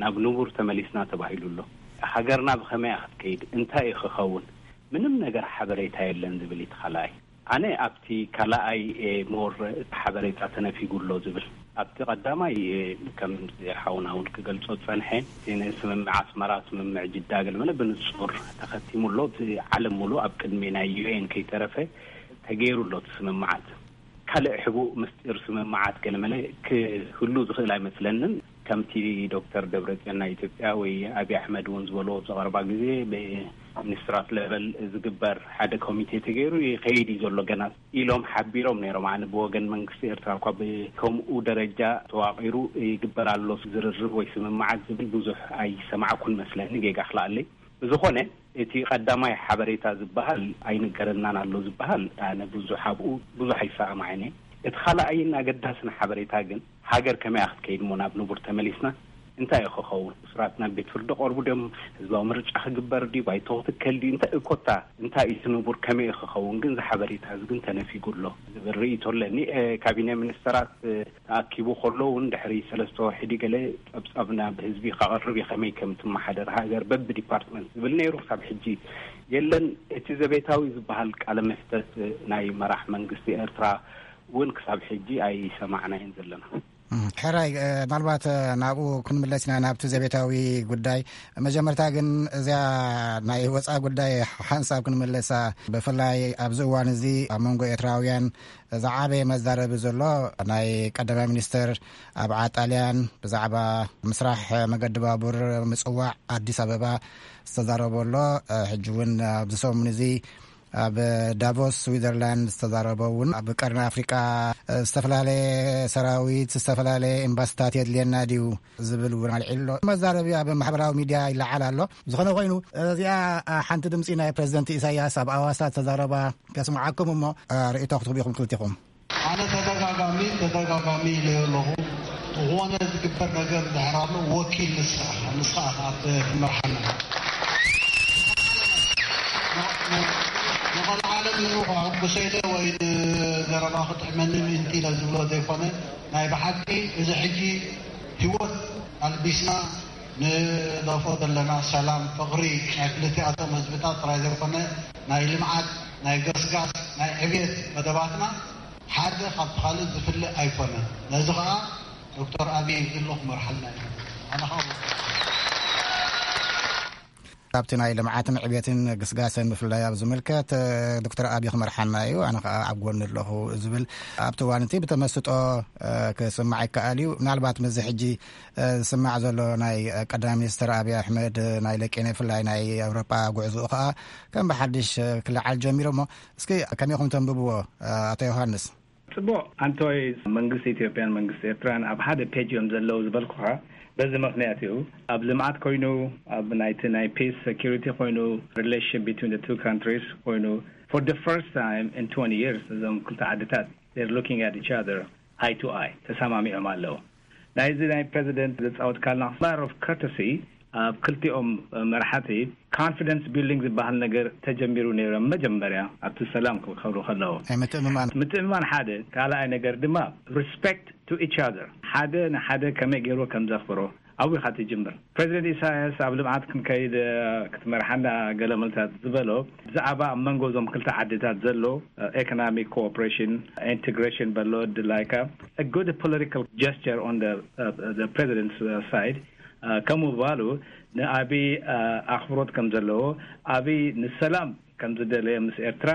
ናብ ንቡር ተመሊስና ተባሂሉ ኣሎ። ሃገርና ብኸመይ እያ ክትከይድ? እንታይ እዩ ክኸውን? ምንም ነገር ሓበሬታ የለን ዝብል እዩ እቲ ካልኣይ። ኣነ ኣብቲ ካልኣይ፣ እ፣ ሞር እቲ ሓበሬታ ተነፊጉ ኣሎ ዝብል። ኣብቲ ቀዳማይ፣ እ፣ ከም ሓውና እውን ክገልጾ ዝጸንሐ፣ እቲ ንስምምዕ ኣስመራ፣ ስምምዕ ጅዳ ገለ መለ ብንጹር ተኸቲሙ ኣሎ። እቲ ዓለም ሙሉእ ኣብ ቅድሚ ናይ ዩ ኤን ከይተረፈ ተገይሩ ኣሎ እቲ ስምምዓት። ካልእ ሕቡእ ምስጢር ስምምዓት ገለ መለ ክህሉ ዝኽእል ኣይመስለንን። ከምቲ ዶክተር ደብረጽዮን ናይ ኢትዮጵያ ወይ ኣብይ ኣሕመድ እውን ዝበሎ ኣብዚ ቀረባ ግዜ ብሚኒስትራት ሌቨል ዝግበር ሓደ ኮሚቴ ተገይሩ ይኸይድ እዩ ዘሎ ገና ኢሎም ሓቢሮም ነይሮም። ኣነ ብወገን መንግስቲ ኤርትራ እኳ ብከምኡ ደረጃ ተዋቒሩ ይግበር ኣሎ ዝርርብ ወይ ስምምዓት ዝብል ብዙሕ ኣይሰማዕኩን መስለኒ፣ ጌጋ ክልኣለይ። ብዝኾነ እቲ ቀዳማይ ሓበሬታ ዝበሃል ኣይንገረናን ኣሎ ዝበሃል ኣነ ብዙሕ ኣብኡ ብዙሕ ኣይሰማማዕን እየ። እቲ ካልኣይን ኣገዳስን ሓበሬታ ግን ሃገር ከመይ እያ ክትከይድ እሞ ናብ ንቡር ተመሊስና እንታይ እዩ ክኸውን? እሱራት ናብ ቤት ፍርዲ ቀርቡ ድዮም? ህዝባዊ ምርጫ ክግበር ድዩ? ባይቶ ክትከል ድዩ? እንታይ እኮታ እንታይ እዩ እቲ ንቡር ከመይ እዩ ክኸውን? ግን እዚ ሓበሬታ እዚ ግን ተነፊጉ ኣሎ ዝብል ርእይቶ ኣለኒ። እ፣ ካቢነ ሚኒስተራት፣ እ፣ ተኣኪቡ ከሎ እውን ድሕሪ ሰለስተ ወርሒ ድዩ ገለ ጸብጻብ ናብ ህዝቢ ከቕርብ እዩ፣ ከመይ ከም ትመሓደር ሃገር በብዲፓርትመንት ዝብል ነይሩ። ክሳብ ሕጂ የለን። እቲ ዘቤታዊ ዝበሃል ቃለ መሕተት ናይ መራሕ መንግስቲ ኤርትራ እውን ክሳብ ሕጂ ኣይሰማዕናዮን ዘለና። ሕራይ፣ ምናልባት ናብኡ ክንምለስ ኢና፣ ናብቲ ዘቤታዊ ጉዳይ። መጀመርታ ግን እዚኣ ናይ ወፃ ጉዳይ ሓንሳብ ክንምለሳ፣ ብፍላይ ኣብዚ እዋን እዚ ኣብ መንጎ ኤርትራውያን ዝዓበየ መዛረቢ ዘሎ፣ ናይ ቀዳማይ ሚኒስትር ኣብ ዓጣልያን ብዛዕባ ምስራሕ መገዲ ባቡር ምጽዋዕ ኣዲስ ኣበባ ዝተዛረበ ኣሎ። ሕጂ እውን ኣብዚ ሰሙን እዚ ኣብ ዳቮስ ስዊዘርላንድ ዝተዛረበ እውን፣ ኣብ ቀርኒ ኣፍሪቃ ዝተፈላለየ ሰራዊት፣ ዝተፈላለየ ኤምባስታት የድልየና ድዩ ዝብል እውን ኣልዒሉ ኣሎ። መዛረቢ ኣብ ማሕበራዊ ሚድያ ይለዓል ኣሎ። ዝኾነ ኮይኑ፣ እዚኣ ሓንቲ ድምፂ ናይ ፕሬዚደንት ኢሳያስ ኣብ ኣዋሳ ዝተዛረባ ከስምዓኩም እሞ፣ ርእይቶ ክትህቡ ኢኹም ክልቲኹም። ኣነ ተደጋጋሚ ተደጋጋሚ ኢለዮ ኣለኹ። ዝኾነ ዝግበር ነገር ድሕር ኣሎ፣ ወኪል ንስኻ ንስኻ ኢኻ ትመርሓና። ንቐልዓለም ኢሉ ከሕጉሰ ኢለ ወይ ንዘረባ ክጥዕመኒ ምእንቲ ኢለ ዝብሎ ዘይኮነ፣ ናይ ብሓቂ እዚ ሕጂ ህይወት ኣልቢስና ንደፎ ዘለና ሰላም፣ ፍቕሪ ናይ ክልቲኣቶም ህዝብታት ጥራይ ዘይኮነ፣ ናይ ልምዓት፣ ናይ ገስጋስ፣ ናይ ዕብየት መደባትና ሓደ ካብቲ ካልእ ዝፍለ ኣይኮነን። ነዚ ኸኣ ዶክተር ኣብይ ዝሎ ክመርሓልና እዩ። ኣነ ኸኣ ኣብቲ ናይ ልምዓትን ዕብየትን ግስጋሰን ብፍላይ ኣብ ዝምልከት፣ እ፣ ዶክተር ኣብይ ክመርሓና እዩ፣ ኣነ ኸኣ ኣብ ጎኒ ኣለኹ ዝብል ኣብቲ እዋን እቲ ብተመስጦ፣ እ፣ ክስማዕ ይከኣል እዩ። ምናልባት ምስዚ ሕጂ፣ እ፣ ዝስማዕ ዘሎ ናይ፣ እ፣ ቀዳማይ ሚኒስትር ኣብይ ኣሕመድ፣ እ፣ ናይ ለቄነ ብፍላይ ናይ ኣውሮጳ ጉዕዞኡ ኸኣ ከም ብሓድሽ፣ እ፣ ክለዓል ጀሚሩ እሞ እስኪ ከመይ ኢኹም ተንብብዎ፣ እ፣ ኣቶ ዮሃንስ? ጽቡቕ ኣንቶይ፣ መንግስቲ ኢትዮጵያን መንግስቲ ኤርትራን ኣብ ሓደ ፔጅ እዮም ዘለዉ ዝበልኩኻ በዚ ምኽንያት እዩ። ኣብ ልምዓት ኮይኑ፣ ኣብ ናይቲ ናይ ፒስ ሴኩሪቲ ኮይኑ፣ relation between the two countries ኮይኑ፣ for the first time in twenty years እዞም ክልተ ዓድታት they're looking at each other eye to eye ተሰማሚዖም ኣለዉ። ናይዚ ናይ ፕሬዚደንት ዘጻወትካልና matter of courtesy ኣብ ክልቲኦም መራሕቲ ኮንፊደንስ ቢልዲንግ ዝበሃል ነገር ተጀሚሩ ነይሩ። መጀመርያ ኣብቲ ሰላም ክኸብሩ ከለዉ ናይ ምትእምማን። ምትእምማን ሓደ፣ ካልኣይ ነገር ድማ respect to each other፣ ሓደ ንሓደ ከመይ ገይሩ ከም ዘኽብሮ ኣብኡ ኢኻ ትጅምር። ፕሬዚደንት ኢሳያስ ኣብ ልምዓት ክንከይድ፣ እ፣ ክትመርሓና ገለ መልታት ዝበሎ ብዛዕባ ኣብ መንጎ እዞም ክልተ ዓድታት ዘሎ፣ እ፣ ኢኮኖሚክ ኮኦፕሬሽን ኢንቴግሬሽን በሎ ድላይካ a good political gesture on the, uh, the president's, uh, side ከምኡ ባሉ ንኣብይ ኣኽብሮት ከም ዘለዎ፣ ኣብይ ንሰላም ከም ዝደለየ ምስ ኤርትራ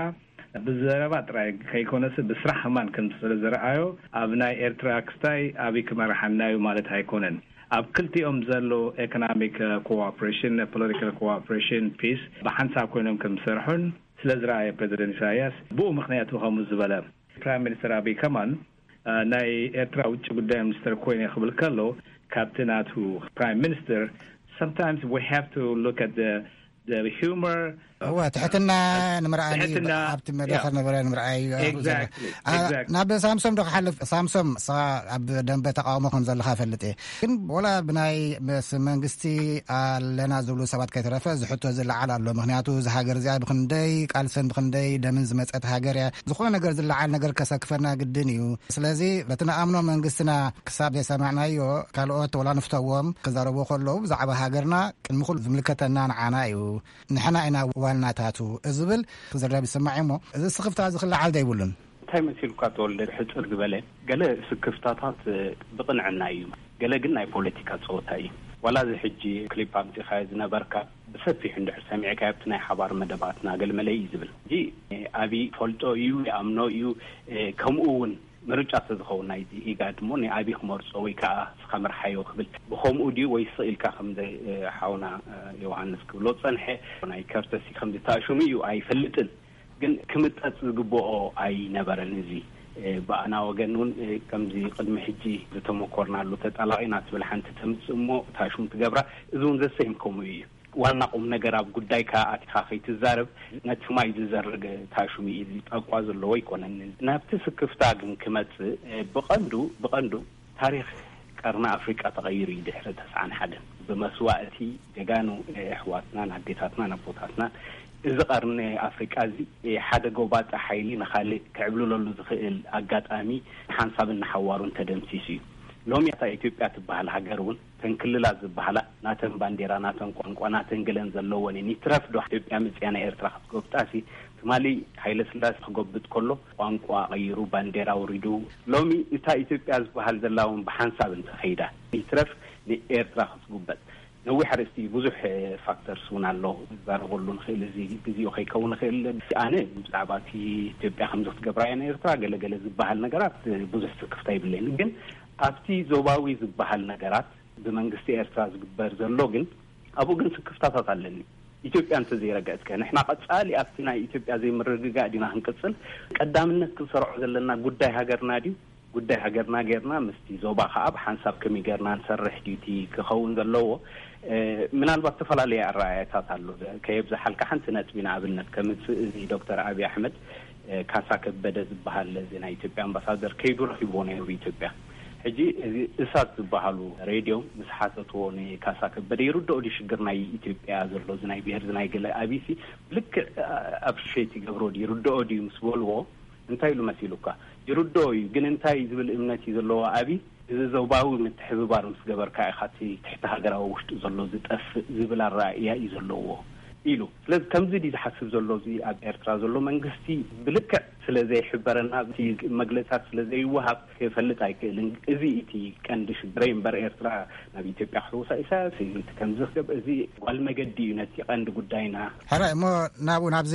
ብዘረባ ጥራይ ከይኮነስ ብስራሕ ከማን ከም ስለ ዝረኣዮ፣ ኣብ ናይ ኤርትራ ክስታይ ኣብይ ክመርሓና እዩ ማለት ኣይኮነን። ኣብ ክልቲኦም ዘሎ ኢኮኖሚክ ኮኦፕሬሽን፣ ፖለቲካል ኮኦፕሬሽን፣ ፒስ ብሓንሳብ ኮይኖም ከም ዝሰርሑን ስለ ዝረኣየ ፕሬዚደንት ኢሳያስ ብኡ ምኽንያት ከምኡ ዝበለ። ፕራይም ሚኒስተር ኣብይ ከማን ናይ ኤርትራ ውጭ ጉዳይ ሚኒስተር ኮይነ ክብል ከሎ ካብቲ ናቱ ፕራይም ሚኒስተር sometimes we have to look at the humor. እወ፣ ትሕትና ንምርኣይ እዩ። ትሕትና፣ ኣብቲ መድረኽ ያ። ዝነበረ ንምርኣይ እዩ። Exactly, ኣ፣ exactly. ናብ ሳምሶም ዶ ክሓልፍ? ሳምሶም፣ ንስኻ ኣብ ደንበ ተቃውሞ ከም ዘለኻ እፈልጥ እየ። ግን ወላ ብናይ ምስ መንግስቲ ኣለና ዝብሉ ሰባት ከይተረፈ ዝሕቶ ዝለዓል ኣሎ። ምኽንያቱ፣ እዚ ሃገር እዚኣ ብኽንደይ ቃልስን ብኽንደይ ደምን ዝመጸት ሃገር እያ። ዝኾነ ነገር ዝለዓል ነገር ከሰክፈና ግድን እዩ። ስለዚ፣ በቲ ንኣምኖ መንግስትና ክሳብ ዘይሰማዕናዮ፣ ካልኦት ወላ ንፍተዎም ክዛረቡ ከለዉ ብዛዕባ ሃገርና ቅድሚ ኩሉ ዝምልከተና ንዓና እዩ። ንሕና ኢና ዋናታቱ ዝብል ክዝረብ ይስማዕ እሞ፣ እዚ ስኽፍታ እዚ ክለዓል ዘይብሉን? እንታይ መሲልካ ተወልደ? ሕጽር ዝበለ፣ ገለ ስክፍታታት ብቕንዕና እዩ፣ ገለ ግን ናይ ፖለቲካ ጸወታ እዩ። ዋላ እዚ ሕጂ ክሊፕ ኣምጺኻዮ ዝነበርካ ብሰፊሑ እንድሕር ሰሚዕካዮ ኣብቲ ናይ ሓባር መደባትና ገለመለ እዩ ዝብል። እዚ ኣብይ ፈልጦ እዩ፣ ይኣምኖ እዩ። ከምኡ እውን ምርጫ ተዝኸውን ናይዚ ኢጋድ እሞ ንኣብይ ክመርጾ ወይ ከዓ እስኻ ምርሓዮ ክብል ብኸምኡ ድዩ ወይ ስቕ ኢልካ ከምዚ ሓውና ዮሃንስ ክብሎ ዝጸንሐ ናይ ከርተሲ ከምዚ ተኣሽሙ እዩ ኣይፈልጥን። ግን ክምጠጽ ዝግብኦ ኣይነበረን። እዚ ብኣና ወገን እውን ከምዚ ቅድሚ ሕጂ ዝተመኮርናሉ ተጣላቒና ትብል ሓንቲ ተምጽእ እሞ ታሽሙ ትገብራ። እዚ እውን ዘሰይም ከምኡ እዩ። ዋና ቁም ነገር ኣብ ጉዳይካ ኣቲኻ ከይትዛረብ ነቲ ማይ ዝዘርግ ታሽሙ እዩ። እዚ ጣቋ ዘለዎ ኣይኮነን። ናብቲ ስክፍታ ግን ክመጽእ ብቐንዱ ብቐንዱ ታሪኽ ቀርኒ ኣፍሪቃ ተቐይሩ እዩ። ድሕሪ ተስዓን ሓደን ብመስዋእቲ ጀጋኑ ኣሕዋትናን ኣዴታትናን ኣቦታትናን እዚ ቀርኒ ኣፍሪቃ እዚ ሓደ ጎባጣ ሓይሊ ንኻልእ ክዕብልለሉ ዝኽእል ኣጋጣሚ ሓንሳብን ንሓዋሩን ተደምሲሱ እዩ። ሎሚ እታ ኢትዮጵያ ትበሃል ሃገር እውን ተን ክልላት ዝበሃላ ናተን ባንዴራ፣ ናተን ቋንቋ፣ ናተን ገለን ዘለወን እየን። ይትረፍ ዶ ኢትዮጵያ መጽያ ናይ ኤርትራ ክትጎብጣሲ፣ ትማሊ ሃይለ ስላሴ ክጎብጥ ከሎ ቋንቋ ቀይሩ፣ ባንዴራ ኣውሪዱ፣ ሎሚ እታ ኢትዮጵያ ዝበሃል ዘላ እውን ብሓንሳብ እንተኸይዳ፣ ይትረፍ ንኤርትራ ክትጉበጥ። ነዊሕ ኣርእስቲ፣ ብዙሕ ፋክተርስ እውን ኣሎ፣ ክዛረበሉ ንኽእል፣ እዚ ግዜኡ ከይከውን ይኽእል። ኣነ ብዛዕባ እቲ ኢትዮጵያ ከምዚ ክትገብራ እያ ንኤርትራ ገለ ገለ ዝበሃል ነገራት ብዙሕ ስክፍታ ይብለይን። ግን ኣብቲ ዞባዊ ዝበሃል ነገራት ብመንግስቲ ኤርትራ ዝግበር ዘሎ ግን፣ ኣብኡ ግን ስክፍታታት ኣለኒ። ኢትዮጵያ እንተዘይረገጽከ፣ ንሕና ቀጻሊ ኣብቲ ናይ ኢትዮጵያ ዘይምርግጋእ ዲና ክንቅጽል? ቀዳምነት ክንሰርዖ ዘለና ጉዳይ ሃገርና ድዩ? ጉዳይ ሃገርና ጌርና ምስቲ ዞባ ከኣ ብሓንሳብ ከመይ ጌርና ንሰርሕ ድዩ እቲ ክኸውን ዘለዎ? እ፣ ምናልባት ዝተፈላለየ ኣረኣእያታት ኣሎ። ከየብዝሓልካ ሓንቲ ነጥቢ ንኣብነት ከምጽእ፣ እዚ ዶክተር ኣብይ ኣሕመድ፣ እ፣ ካሳ ከበደ ዝበሃል እዚ ናይ ኢትዮጵያ ኣምባሳደር ከይዱ ረኺብዎ ነይሩ ብኢትዮጵያ። ሕጂ እዚ እሳት ዝበሃሉ ሬድዮ ምስ ሓተትዎ ንካሳ ከበደ፣ ይርድኦ ድዩ ሽግር ናይ ኢትዮጵያ ዘሎ፣ እዚ ናይ ብሄር፣ እዚ ናይ ገለ፣ ኣቢሲ ብልክዕ ኣፕሪሼት ይገብሮ ድዩ፣ ይርድኦ ድዩ ምስ በልዎ፣ እንታይ ኢሉ መሲሉካ? ይርድኦ እዩ፣ ግን እንታይ ዝብል እምነት እዩ ዘለዎ ኣቢ? እዚ ዞባዊ ምትሕብባር ምስ ገበርካ ኢኻ እቲ ትሕቲ ሃገራዊ ውሽጡ ዘሎ ዝጠፍእ ዝብል ኣረኣእያ እዩ ዘለዎ ኢሉ። ስለዚ ከምዚ ድዩ ዝሓስብ ዘሎ እዚ ኣብ ኤርትራ ዘሎ መንግስቲ? ብልክዕ ስለ ዘይሕበረና፣ እቲ መግለጽታት ስለ ዘይወሃብ ክፈልጥ ኣይክእልን። እዚ እቲ ቀንዲ ሽግረይ እምበር፣ ኤርትራ ናብ ኢትዮጵያ ክሕውሳ፣ ኢሳያስ እዩ እቲ ከምዚ ክገብር፣ እዚ ጓል መገዲ እዩ ነቲ ቀንዲ ጉዳይና። ሕራይ እሞ፣ ናብኡ፣ ናብዚ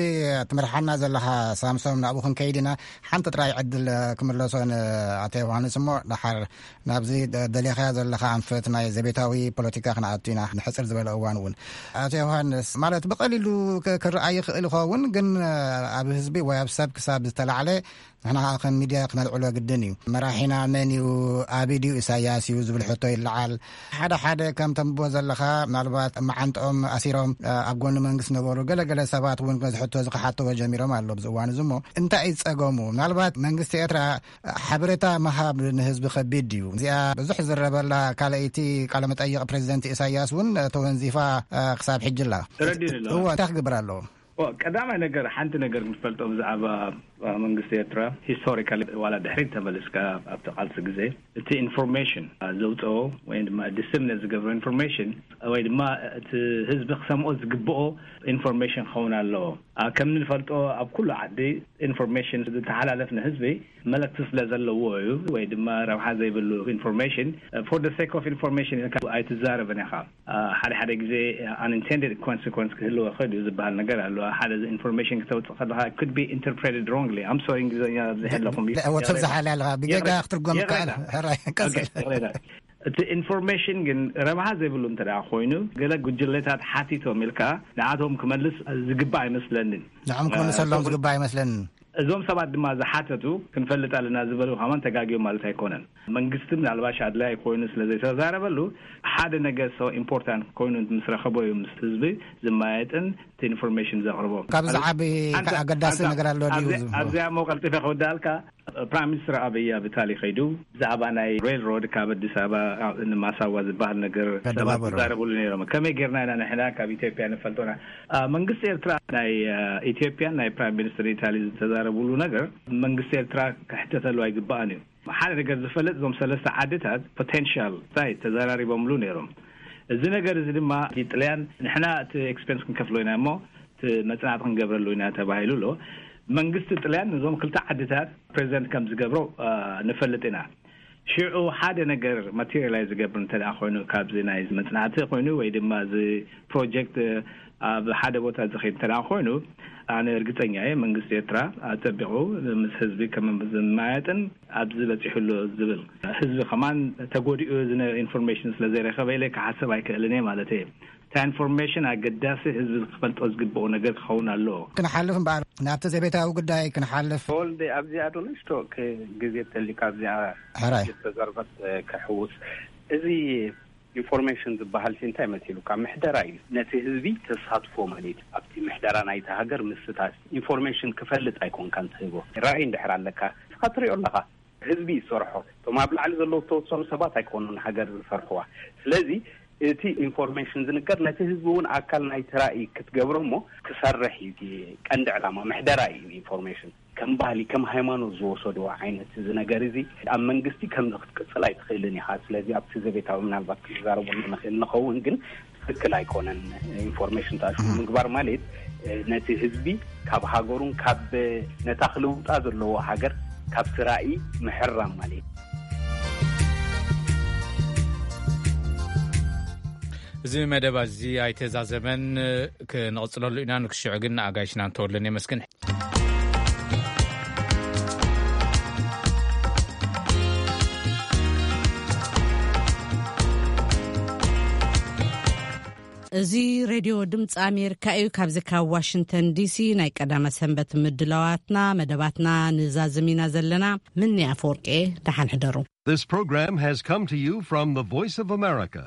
ትመርሓና ዘለኻ ሳምሶም፣ ናብኡ ክንከይድ ኢና። ሓንቲ ጥራይ ዕድል ክምለሶ ንኣቶ ዮሃንስ እሞ፣ ደሓር ናብዚ ደ-፣ ደሊኻዮ ዘለኻ ኣንፈት ናይ ዘቤታዊ ፖለቲካ ክንኣቱ ኢና፣ ንሕጽር ዝበለ እዋን እውን። ኣቶ ዮሃንስ፣ ማለት ብቐሊሉ ክ-፣ ክረኣይ ይኽእል ይኸውን፣ ግን ኣብ ህዝቢ ወይ ኣብ ሰብ ክሳብ ዝተላዕለ ንሕና ኸዓ ከም ሚድያ ክነልዕሎ ግድን እዩ። መራሒና መን እዩ? ኣቢ ድዩ ኢሳያስ እዩ ዝብል ሕቶ ይለዓል። ሓደ ሓደ ከም ተንብቦ ዘለኻ ምናልባት መዓንጥኦም ኣሲሮም፣ እ፣ ኣብ ጎኒ መንግስቲ ነበሩ ገለገለ ሰባት እውን ነዚ ሕቶ እዚ ክሓተዎ ጀሚሮም ኣሎ ኣብዚ እዋን እዚ። እሞ እንታይ እዩ ጸገሙ? ምናልባት መንግስቲ ኤርትራ ሓበሬታ ምሃብ ንህዝቢ ከቢድ ድዩ? እዚኣ ብዙሕ ዝረበላ ካልኣይቲ ቃለ መጠይቕ ፕሬዚደንት ኢሳያስ እውን ተወንዚፋ፣ እ፣ ክሳብ ሕጂ ኣላ። ተረዲኡ ኣሎ። እወ፣ እንታይ ክግበር ኣለዎ? ኦ፣ ቀዳማይ ነገር፣ ሓንቲ ነገር ክንፈልጦ ብዛዕባ፣ አ፣ መንግስቲ ኤርትራ፣ ሂስቶሪካሊ ዋላ ድሕሪት ተመልስካ ኣብቲ ቃልሲ ግዜ፣ እቲ ኢንፎርሜሽን፣ አ፣ ዘውፅኦ ወይ ድማ ዲስሚኔት ዝገብሮ ኢንፎርሜሽን ወይ ድማ እቲ ህዝቢ ክሰምኦ ዝግብኦ ኢንፎርሜሽን ክኸውን ኣለዎ። አ፣ ከም እንፈልጦ ኣብ ኩሉ ዓዲ ኢንፎርሜሽን ዝተሓላለፍ ንህዝቢ መልእክቲ ስለ ዘለዎ እዩ። ወይ ድማ ረብሓ ዘይብሉ ኢንፎርሜሽን፣ ፎር ደ ሴክ ኦፍ ኢንፎርሜሽን ኢልካ ኣይትዛረብን ኢኻ። አ፣ ሓደ ሓደ ግዜ ኣንኢንቴንድድ ኮንሲኮንስ ክህልዎ ይኽእል እዩ ዝበሃል ነገር ኣሎ። ሓደ ኢንፎርሜሽን ክተውፅእ ከለኻ፣ it could be interpreted wrongly። I'm sorry፣ እንግሊዝኛ ኣብዚሐ ኣለኹም። ለ-፣ ወትር ዝሓልያ ኣለኻ። ብጌጋ ይቕሬታ። ክትርጎም ይቕሬታ። ይከኣል። ሕራይ፣ ቀጽል። ኦኬ፣ ይቕሬታ። እቲ ኢንፎርሜሽን ግን ረብሃ ዘይብሉ እንተ ደኣ ኮይኑ፣ ገለ ጉጅለታት ሓቲቶም ኢልካ ንዓቶም ክመልስ ዝግባእ ኣይመስለንን። ንዖም ክመልሰሎም እ፣ ዝግባእ ኣይመስለንን። እዞም ሰባት ድማ ዝሓተቱ ክንፈልጥ ኣለና ዝበሉ ከማን ተጋግዮም ማለት ኣይኮነን። መንግስቲ ምናልባሽ ኣድላይ ኮይኑ ስለ ዘይተዛረበሉ፣ ሓደ ነገር so ኢምፖርታንት ኮይኑ ምስ ረኸቦ እዩ ምስ ህዝቢ ዝመያየጥን እቲ ኢንፎርሜሽን ዘቕርቦ። ካብ ዝዓቢ ኣንተ-፣ ኣገዳሲ ኣንተ-፣ ነገር ኣሎ ድዩ ኣብዚ-፣ ዝብሎ? ኣብዚኣ እሞ ቀልጢፈ ክውዳልካ፣ ፕራይም ሚኒስትር ኣብይ ኣብ ኢታሊ ከይዱ ብዛዕባ ናይ ሬልሮድ ካብ ኣዲስ ኣበባ ንማሳዋ ዝበሃል ነገር ሰባት ከደባበሮ። ይዛረብሉ ነይሮም። ከመይ ጌርና ኢና ንሕና ካብ ኢትዮጵያ ንፈልጦና? አ፣ መንግስቲ ኤርትራ ናይ፣ አ፣ ኢትዮጵያን ናይ ፕራይም ሚኒስትር ኢታሊ ዝተዛረብሉ ነገር መንግስቲ ኤርትራ ክሕተተሉ ኣይግባእን እዩ። ሓደ ነገር ዝፈልጥ፣ እዞም ሰለስተ ዓድታት ፖቴንሻል ሳይት ተዘራሪቦምሉ ነይሮም። እዚ ነገር እዚ ድማ እቲ ጥልያን፣ ንሕና እቲ ኤክስፔንስ ክንከፍሎ ኢና እሞ እቲ መጽናዕቲ ክንገብረሉ ኢና ተባሂሉ ኣሎ። መንግስቲ ጥልያን ነዞም ክልተ ዓድታት ፕሬዚደንት ከም ዝገብሮ፣ አ፣ ንፈልጥ ኢና። ሽዑ ሓደ ነገር ማቴሪያላይዝ ዝገብር እንተ ደኣ ኮይኑ፣ ካብዚ ናይ መጽናዕቲ ኮይኑ ወይ ድማ እዚ ፕሮጀክት ኣብ ሓደ ቦታ ዝኸይድ እንተ ደኣ ኮይኑ፣ ኣነ እርግጸኛ እየ መንግስቲ ኤርትራ ኣጸቢቑ ምስ ህዝቢ ከም ዝመያየጥን ኣብዚ በጺሑ ኣሎ ዝብል፣ ህዝቢ ከማን ተጎዲኡ እዚ ነ-፣ ኢንፎርሜሽን ስለ ዘይረኸበ ኢለ ክሓስብ ኣይክእልን እየ ማለት እየ። እታ ኢንፎርሜሽን ኣገዳሲ ህዝቢ ክፈልጦ ዝግብኦ ነገር ክኸውን ኣለዎ። ክንሓልፍ እምበኣር፣ ናብቲ ዘቤታዊ ጉዳይ ክንሓልፍ። ተወልደ፣ ኣብዚኣ ዶ ንእሽቶ ክ-፣ ግዜ ተሊካ ኣብዚኣ ሕራይ። ዝተዘርበት፣ እ፣ ክሕውስ። እዚ ኢንፎርሜሽን ዝበሃል ሲ እንታይ መሲሉካ? ምሕደራ እዩ። ነቲ ህዝቢ ተሳትፎ ማለት እዩ። ኣብቲ ምሕደራ ናይቲ ሃገር ምስታፍ። ኢንፎርሜሽን ክፈልጥ ኣይኮንካን ትህቦ። ራእይ እንድሕር ኣለካ፣ ንስኻ ትሪኦ ኣለኻ። ህዝቢ ይሰርሖ። እቶም ኣብ ላዕሊ ዘለዉ ዝተወሰኑ ሰባት ኣይኮኑን ሃገር ዝሰርሕዋ። ስለዚ እቲ ኢንፎርሜሽን ዝንገር ነቲ ህዝቢ እውን ኣካል ናይቲ ራእይ ክትገብሮ እሞ ክሰርሕ እዩ። እቲ ቀንዲ ዕላማ ምሕደራ እዩ ኢንፎርሜሽን። ከም ባህሊ፣ ከም ሃይማኖት ዝወሰድዎ ዓይነት እዚ ነገር እዚ ኣብ መንግስቲ ከምዚ ክትቅጽል ኣይትኽእልን ኢኻ። ስለዚ ኣብቲ ዘቤታዊ ምናልባት ክንዛረቡ ንኽእል ንኸውን፣ ግን ትክክል ኣይኮነን። ኢንፎርሜሽን ተኣሽሙ ምግባር ማለት፣ እ፣ ነቲ ህዝቢ ካብ ሃገሩን ካብ ነታ ክልውጣ ዘለዎ ሃገር ካብቲ ራእይ ምሕራም ማለት እዩ። እዚ መደብ እዚ ኣይተዛዘመን፣ ክንቕጽለሉ ኢና። ንክሽዑ ግን ንኣጋይሽና እንተወለን የመስግን። እዚ ሬድዮ ድምፂ ኣሜሪካ እዩ። ካብዚ ካብ ዋሽንግተን ዲሲ ናይ ቀዳመ ሰንበት ምድላዋትና፣ መደባትና ንዛዝም ኢና ዘለና። ምኒ ኣፈወርቂ፣ ደሓን ሕደሩ። This program has come to you from the Voice of America.